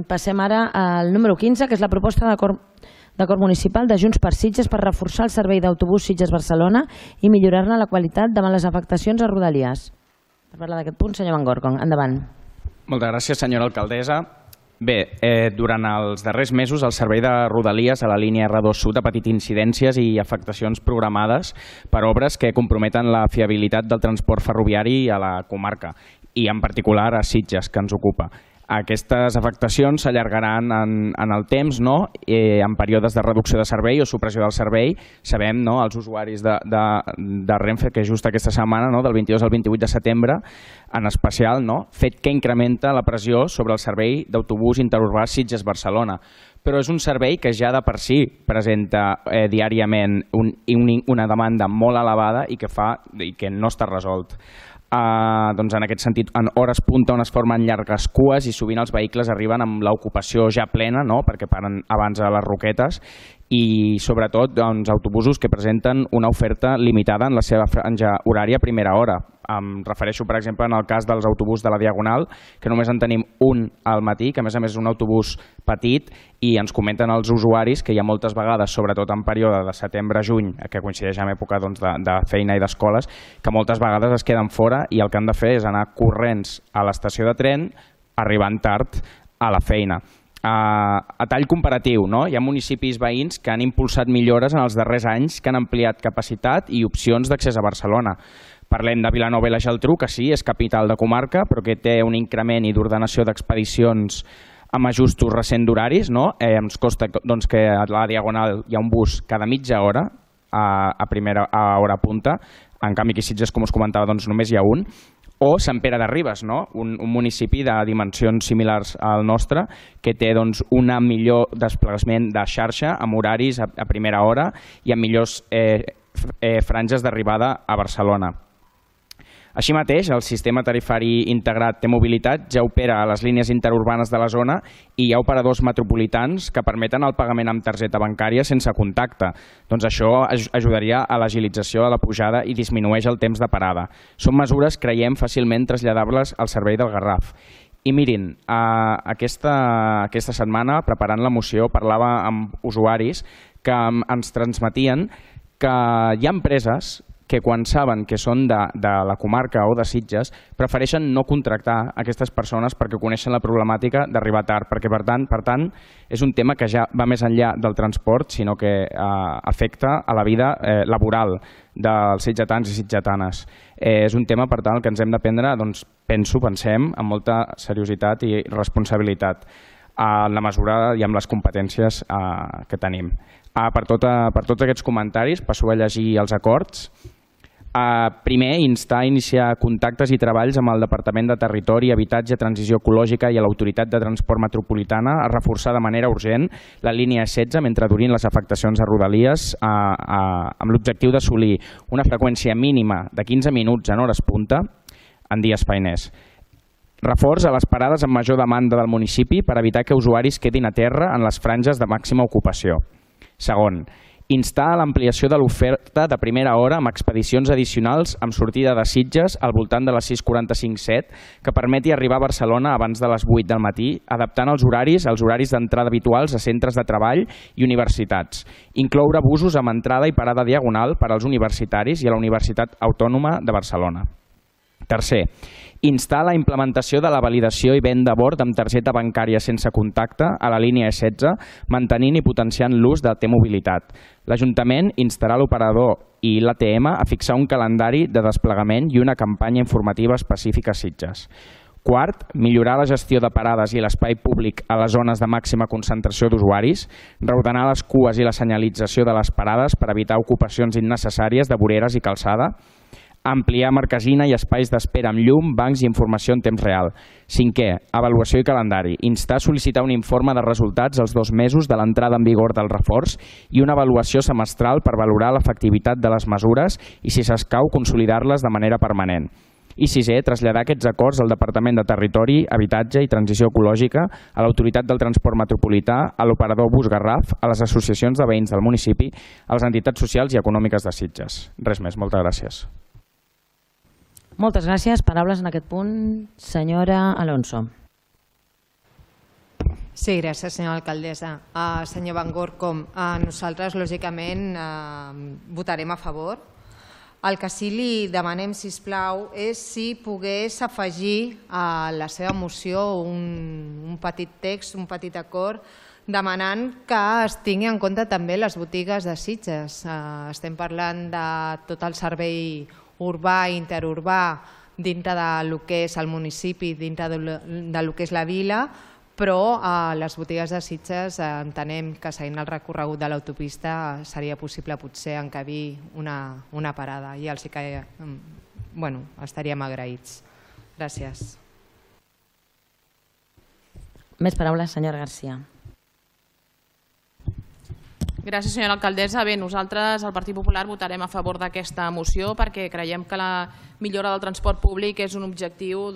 Passem ara al número 15, que és la proposta d'acord municipal de Junts per Sitges per reforçar el servei d'autobús Sitges-Barcelona i millorar-ne la qualitat davant les afectacions a Rodalies. Per parlar d'aquest punt, senyor Van Gorkom, endavant. Moltes gràcies, senyora alcaldessa. Bé, durant els darrers mesos el servei de Rodalies a la línia R2 Sud ha patit incidències i afectacions programades per obres que comprometen la fiabilitat del transport ferroviari a la comarca i en particular a Sitges, que ens ocupa. Aquestes afectacions s'allargaran en el temps, en períodes de reducció de servei o supressió del servei. Sabem, els usuaris de Renfe, que just aquesta setmana, del 22 al 28 de setembre, en especial, fet que incrementa la pressió sobre el servei d'autobús interurbà Sitges-Barcelona. Però és un servei que ja de per si presenta diàriament una demanda molt elevada i que no està resolt. Doncs en aquest sentit, en hores punta on es formen llargues cues i sovint els vehicles arriben amb l'ocupació ja plena, perquè paren abans a les Roquetes, i sobretot autobusos que presenten una oferta limitada en la seva franja horària a primera hora. Em refereixo, per exemple, en el cas dels autobusos de la Diagonal, que només en tenim un al matí, que a més és un autobús petit, i ens comenten els usuaris que hi ha moltes vegades, sobretot en període de setembre-juny, que coincideix amb època de feina i d'escoles, que moltes vegades es queden fora i el que han de fer és anar corrents a l'estació de tren, arribant tard a la feina. A tall comparatiu, hi ha municipis veïns que han impulsat millores en els darrers anys, que han ampliat capacitat i opcions d'accés a Barcelona. Parlem de Vilanova i la Geltrú, que sí, és capital de comarca, però que té un increment i d'ordenació d'expedicions amb ajustos recents d'horaris. Ens consta que a la Diagonal hi ha un bus cada mitja hora a hora punta, en canvi aquí a Sitges, com us comentava, només hi ha un. O Sant Pere de Ribes, un municipi de dimensions similars al nostre, que té un millor desplaçament de xarxa amb horaris a primera hora i amb millors franges d'arribada a Barcelona. Així mateix, el sistema tarifari integrat T-Mobilitat ja opera a les línies interurbanes de la zona i hi ha operadors metropolitans que permeten el pagament amb targeta bancària sense contacte. Doncs això ajudaria a l'agilització de la pujada i disminueix el temps de parada. Són mesures, creiem, fàcilment traslladables al servei del Garraf. I mirin, aquesta setmana, preparant la moció, parlava amb usuaris que ens transmetien que hi ha empreses que quan saben que són de la comarca o de Sitges prefereixen no contractar aquestes persones perquè coneixen la problemàtica d'arribar tard, perquè per tant és un tema que ja va més enllà del transport, sinó que afecta a la vida laboral dels sitgetans i sitgetanes. És un tema, per tant, el que ens hem de prendre, pensem, amb molta seriositat i responsabilitat, en la mesura i amb les competències que tenim. Per tots aquests comentaris passo a llegir els acords. Primer, instar a iniciar contactes i treballs amb el Departament de Territori, Habitatge, Transició Ecològica i l'Autoritat de Transport Metropolitana a reforçar de manera urgent la línia 16 mentre durin les afectacions a Rodalies amb l'objectiu d'assolir una freqüència mínima de 15 minuts en hores punta en dies feiners. Reforç a les parades amb major demanda del municipi per evitar que usuaris quedin a terra en les franges de màxima ocupació. Segon, instar a l'ampliació de l'oferta de primera hora amb expedicions addicionals amb sortida de Sitges al voltant de les 6:45-7 que permeti arribar a Barcelona abans de les 8 del matí, adaptant els horaris als horaris d'entrada habituals a centres de treball i universitats. Incloure busos amb entrada i parada diagonal per als universitaris i a la Universitat Autònoma de Barcelona. Tercer, instar la implementació de la validació i venda a bord amb targeta bancària sense contacte a la línia E16, mantenint i potenciant l'ús de T-Mobilitat. L'Ajuntament instarà l'operador i l'ATM a fixar un calendari de desplegament i una campanya informativa específica a Sitges. Quart, millorar la gestió de parades i l'espai públic a les zones de màxima concentració d'usuaris, reordenar les cues i la senyalització de les parades per evitar ocupacions innecessàries de voreres i calçada, ampliar marquesina i espais d'espera amb llum, bancs i informació en temps real. Cinquè, avaluació i calendari. Instar a sol·licitar un informe de resultats als 2 mesos de l'entrada en vigor del reforç i una avaluació semestral per valorar l'efectivitat de les mesures i, si s'escau, consolidar-les de manera permanent. I sisè, traslladar aquests acords al Departament de Territori, Habitatge i Transició Ecològica, a l'Autoritat del Transport Metropolità, a l'operador Bus Garraf, a les associacions de veïns del municipi, a les entitats socials i econòmiques de Sitges. Res més, moltes gràcies. Moltes gràcies. Paraules en aquest punt, senyora Alonso. Sí, gràcies, senyora alcaldessa. Senyor Van Gorkom, nosaltres, lògicament, votarem a favor. El que sí li demanem, sisplau, és si pogués afegir a la seva moció un petit text, un petit acord, demanant que es tingui en compte també les botigues de Sitges. Estem parlant de tot el servei urbà i interurbà dintre del que és el municipi, dintre del que és la vila, però a les botigues de Sitges entenem que seguint el recorregut de l'autopista seria possible potser encabir una parada i els que estaríem agraïts. Gràcies. Més paraules, senyora Garcia. Gràcies, senyora alcaldessa. Bé, nosaltres, el Partit Popular, votarem a favor d'aquesta moció perquè creiem que la millora del transport públic és un objectiu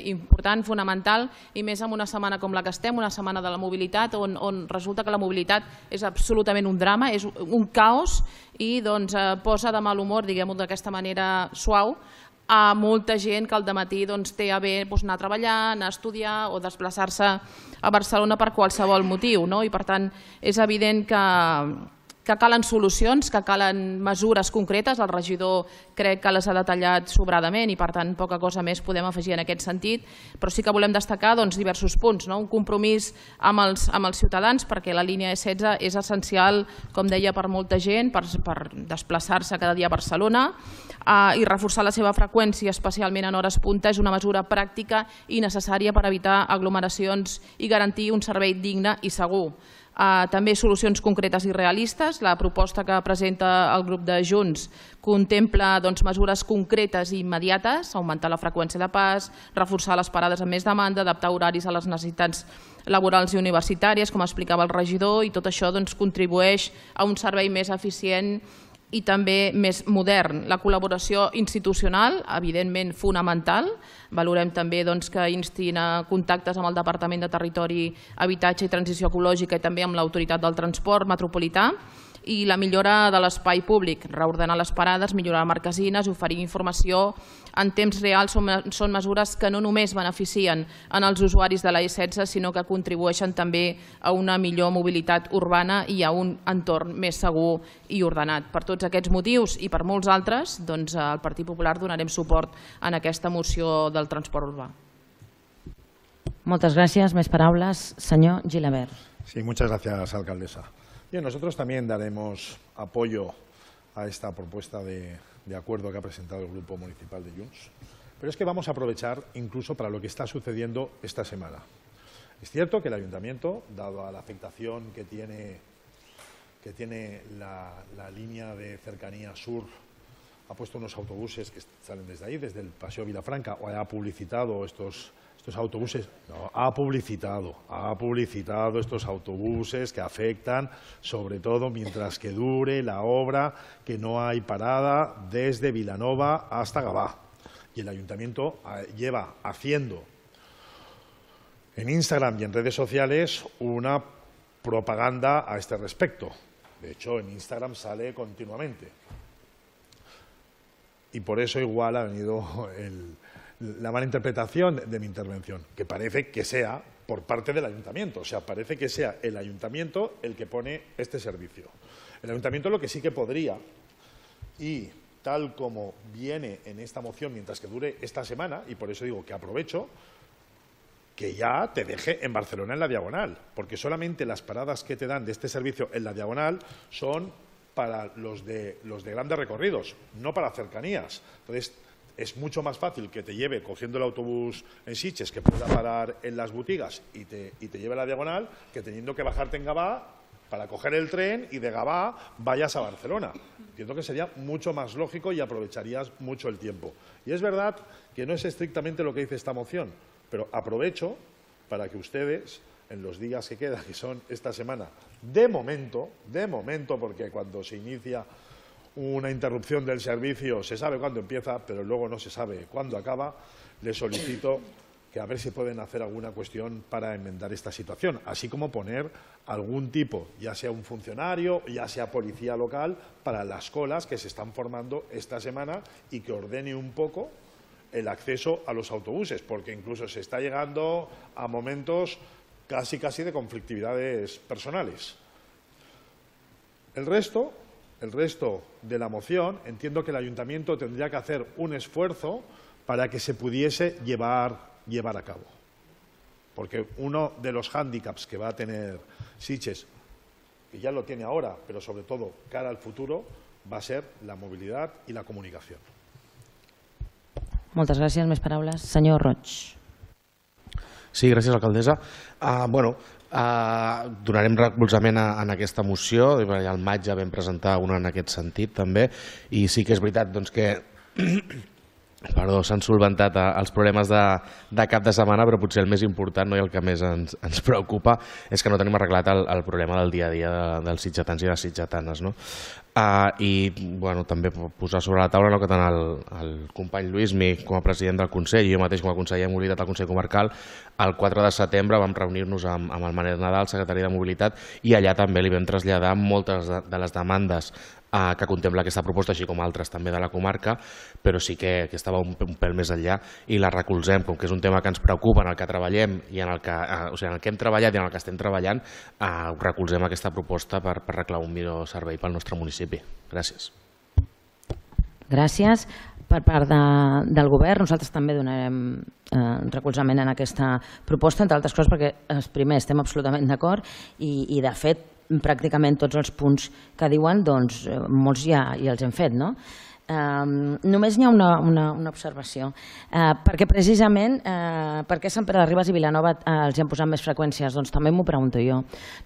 important, fonamental, i més en una setmana com la que estem, una setmana de la mobilitat, on resulta que la mobilitat és absolutament un drama, és un caos i posa de mal humor, diguem-ho d'aquesta manera suau, a molta gent que al dematí té a bé anar a treballar, anar a estudiar o desplaçar-se a Barcelona per qualsevol motiu. I per tant és evident que calen solucions, que calen mesures concretes. El regidor crec que les ha detallat sobradament i per tant poca cosa més podem afegir en aquest sentit, però sí que volem destacar diversos punts. Un compromís amb els ciutadans perquè la línia E16 és essencial, com deia, per molta gent, per desplaçar-se cada dia a Barcelona, i reforçar la seva freqüència, especialment en hores punta, és una mesura pràctica i necessària per evitar aglomeracions i garantir un servei digne i segur. També solucions concretes i realistes. La proposta que presenta el grup de Junts contempla mesures concretes i immediates, augmentar la freqüència de pas, reforçar les parades amb més demanda, adaptar horaris a les necessitats laborals i universitàries, com explicava el regidor, i tot això contribueix a un servei més eficient i també més modern. La col·laboració institucional, evidentment fonamental. Valorem també que instin a contactes amb el Departament de Territori, Habitatge i Transició Ecològica i també amb l'Autoritat del Transport Metropolità. I la millora de l'espai públic, reordenar les parades, millorar marquesines, oferir informació en temps real són mesures que no només beneficien en els usuaris de la E16, sinó que contribueixen també a una millor mobilitat urbana i a un entorn més segur i ordenat. Per tots aquests motius i per molts altres, al Partit Popular donarem suport en aquesta moció del transport urbà. Moltes gràcies. Més paraules, senyor Gilabert. Sí, muchas gracias, alcaldesa. Bien, nosotros también daremos apoyo a esta propuesta de acuerdo que ha presentado el Grupo Municipal de Junts, pero es que vamos a aprovechar incluso para lo que está sucediendo esta semana. Es cierto que el Ayuntamiento, dado a la afectación que tiene la línea de cercanía sur, ha puesto unos autobuses que salen desde ahí, desde el Paseo Vilafranca, o ha publicitado estos autobuses, no, ha publicitado estos autobuses que afectan, sobre todo mientras que dure la obra, que no hay parada desde Vilanova hasta Gavà. Y el Ayuntamiento lleva haciendo en Instagram y en redes sociales una propaganda a este respecto. De hecho, en Instagram sale continuamente. Y por eso igual ha venido la mala interpretación de mi intervención, que parece que sea por parte del Ayuntamiento. O sea, parece que sea el Ayuntamiento el que pone este servicio. El Ayuntamiento lo que sí que podría, y tal como viene en esta moción mientras que dure esta semana, y por eso digo que aprovecho, que ya te deje en Barcelona en la diagonal, porque solamente las paradas que te dan de este servicio en la diagonal son para los de grandes recorridos, no para cercanías. Entonces, es mucho más fácil que te lleve cogiendo el autobús en Sitges, que pueda parar en las boutigas y te lleve a la diagonal, que teniendo que bajarte en Gavà para coger el tren y de Gavà vayas a Barcelona. Entiendo que sería mucho más lógico y aprovecharías mucho el tiempo. Y es verdad que no es estrictamente lo que dice esta moción, pero aprovecho para que ustedes, en los días que quedan, que son esta semana, de momento, porque cuando se inicia una interrupción del servicio se sabe cuándo empieza, pero luego no se sabe cuándo acaba, les solicito que a ver si pueden hacer alguna cuestión para enmendar esta situación, así como poner algún tipo, ya sea un funcionario, ya sea policía local, para las colas que se están formando esta semana y que ordene un poco el acceso a los autobuses, porque incluso se está llegando a momentos casi de conflictividades personales. El resto de la moción, entiendo que el ayuntamiento tendría que hacer un esfuerzo para que se pudiese llevar a cabo. Porque uno de los hándicaps que va a tener Sitges, que ya lo tiene ahora, pero sobre todo cara al futuro, va a ser la movilidad i la comunicació. Moltes gràcies. Més paraules. Senyor Roig. Sí, gràcies, alcaldessa. Donarem recolzament en aquesta moció. Al maig ja vam presentar una en aquest sentit també, i sí que és veritat que s'han solventat els problemes de cap de setmana, però potser el més important i el que més ens preocupa és que no tenim arreglat el problema del dia a dia dels sitgetans i les sitgetanes. I també posar sobre la taula que tant el company Lluïsmi com a president del Consell i jo mateix com a conseller de Mobilitat al Consell Comarcal, el 4 de setembre vam reunir-nos amb el Manel Nadal, secretari de Mobilitat, i allà també li vam traslladar moltes de les demandes que contempla aquesta proposta, així com altres també de la comarca, però sí que estava un pèl més enllà i la recolzem, com que és un tema que ens preocupa, en el que treballem i en el que hem treballat i en el que estem treballant, recolzem aquesta proposta per reclamar un millor servei pel nostre municipi. Gràcies. Gràcies. Per part del govern, nosaltres també donarem recolzament en aquesta proposta, entre altres coses perquè, primer, estem absolutament d'acord i, de fet, pràcticament tots els punts que diuen, doncs molts ja els hem fet, no? Només hi ha una observació, perquè precisament per què Sant Pere de Ribes i Vilanova els hi han posat més freqüències? Doncs també m'ho pregunto jo.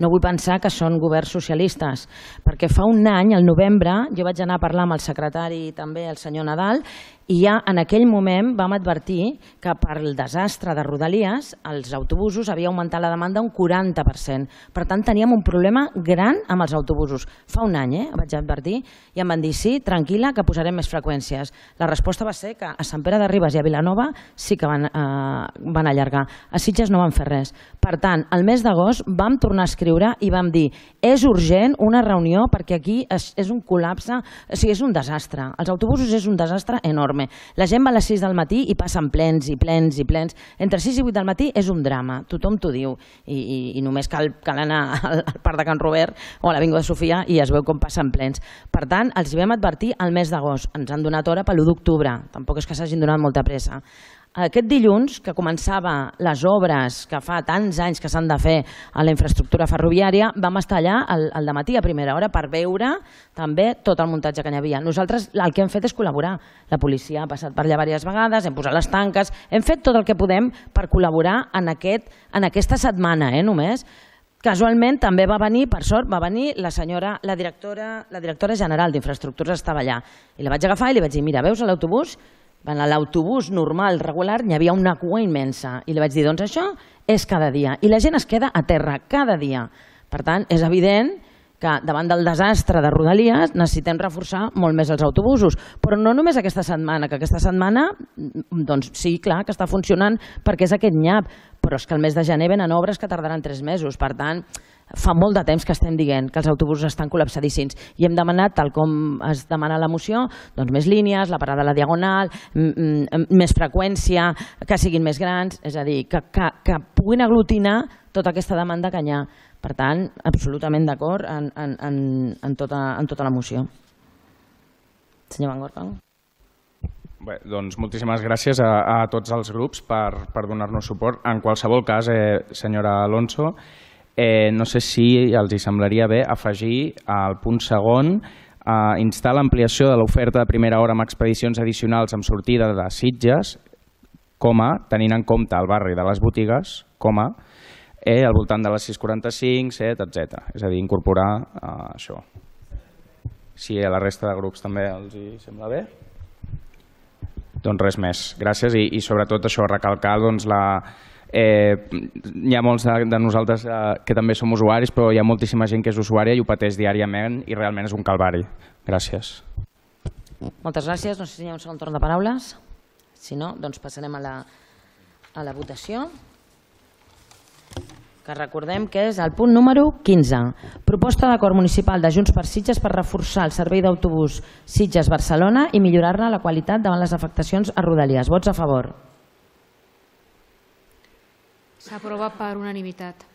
No vull pensar que són governs socialistes, perquè fa un any, al novembre, jo vaig anar a parlar amb el secretari i també el senyor Nadal, i ja en aquell moment vam advertir que per el desastre de Rodalies els autobusos havia augmentat la demanda un 40%. Per tant, teníem un problema gran amb els autobusos. Fa un any, vaig advertir, i em van dir, sí, tranquil·la, que posarem més freqüències. La resposta va ser que a Sant Pere de Ribes i a Vilanova sí que van allargar. A Sitges no van fer res. Per tant, el mes d'agost vam tornar a escriure i vam dir, és urgent una reunió perquè aquí és un col·lapse, o sigui, és un desastre. Els autobusos és un desastre enorme. La gent va a les 6 del matí i passen plens i plens i plens. Entre 6 i 8 del matí és un drama, tothom t'ho diu. I només cal anar al Parc de Can Robert o a l'Avinguda Sofia i es veu com passen plens. Per tant, els vam advertir al mes d'agost. Ens han donat hora per l'1 d'octubre. Tampoc és que s'hagin donat molta pressa. Aquest dilluns, que començava les obres que fa tants anys que s'han de fer a la infraestructura ferroviària, vam estar allà al dematí a primera hora per veure també tot el muntatge que hi havia. Nosaltres el que hem fet és col·laborar. La policia ha passat per allà diverses vegades, hem posat les tanques, hem fet tot el que podem per col·laborar en aquesta setmana, només. Casualment també va venir, per sort, va venir la directora general d'Infraestructures, estava allà. I la vaig agafar i li vaig dir, mira, veus l'autobús? A l'autobús normal, regular, hi havia una cua immensa. I li vaig dir, doncs això és cada dia. I la gent es queda a terra cada dia. Per tant, és evident que davant del desastre de Rodalies necessitem reforçar molt més els autobusos. Però no només aquesta setmana, que aquesta setmana, doncs sí, clar, que està funcionant perquè és aquest nyap, però és que el mes de gener venen obres que tardaran 3 mesos. Per tant, fa molt de temps que estem dient que els autobusos estan col·lapsadíssims i hem demanat, tal com es demana la moció, doncs més línies, la parada a la diagonal, més freqüència, que siguin més grans, és a dir, que puguin aglutinar tota aquesta demanda que hi ha. Per tant, absolutament d'acord en tota la moció. Senyor Van Gorka. Bé, doncs moltíssimes gràcies a tots els grups per donar-nos suport. En qualsevol cas, senyora Alonso, no sé si els semblaria bé afegir al punt segon instar l'ampliació de l'oferta de primera hora amb expedicions addicionals amb sortida de Sitges, tenint en compte el barri de les botigues, al voltant de les 6:45, 7, etc. És a dir, incorporar això. Si a la resta de grups també els hi sembla bé. Doncs res més. Gràcies i sobretot això, recalcar hi ha molts de nosaltres que també som usuaris, però hi ha moltíssima gent que és usuària i ho pateix diàriament i realment és un calvari. Gràcies. Moltes gràcies. No sé si hi ha un segon torn de paraules. Si no, doncs passarem a la votació, que recordem que és el punt número 15. Proposta d'acord municipal de Junts per Sitges per reforçar el servei d'autobús Sitges-Barcelona i millorar-ne la qualitat davant les afectacions a Rodalies. Vots a favor. S'aprova per unanimitat.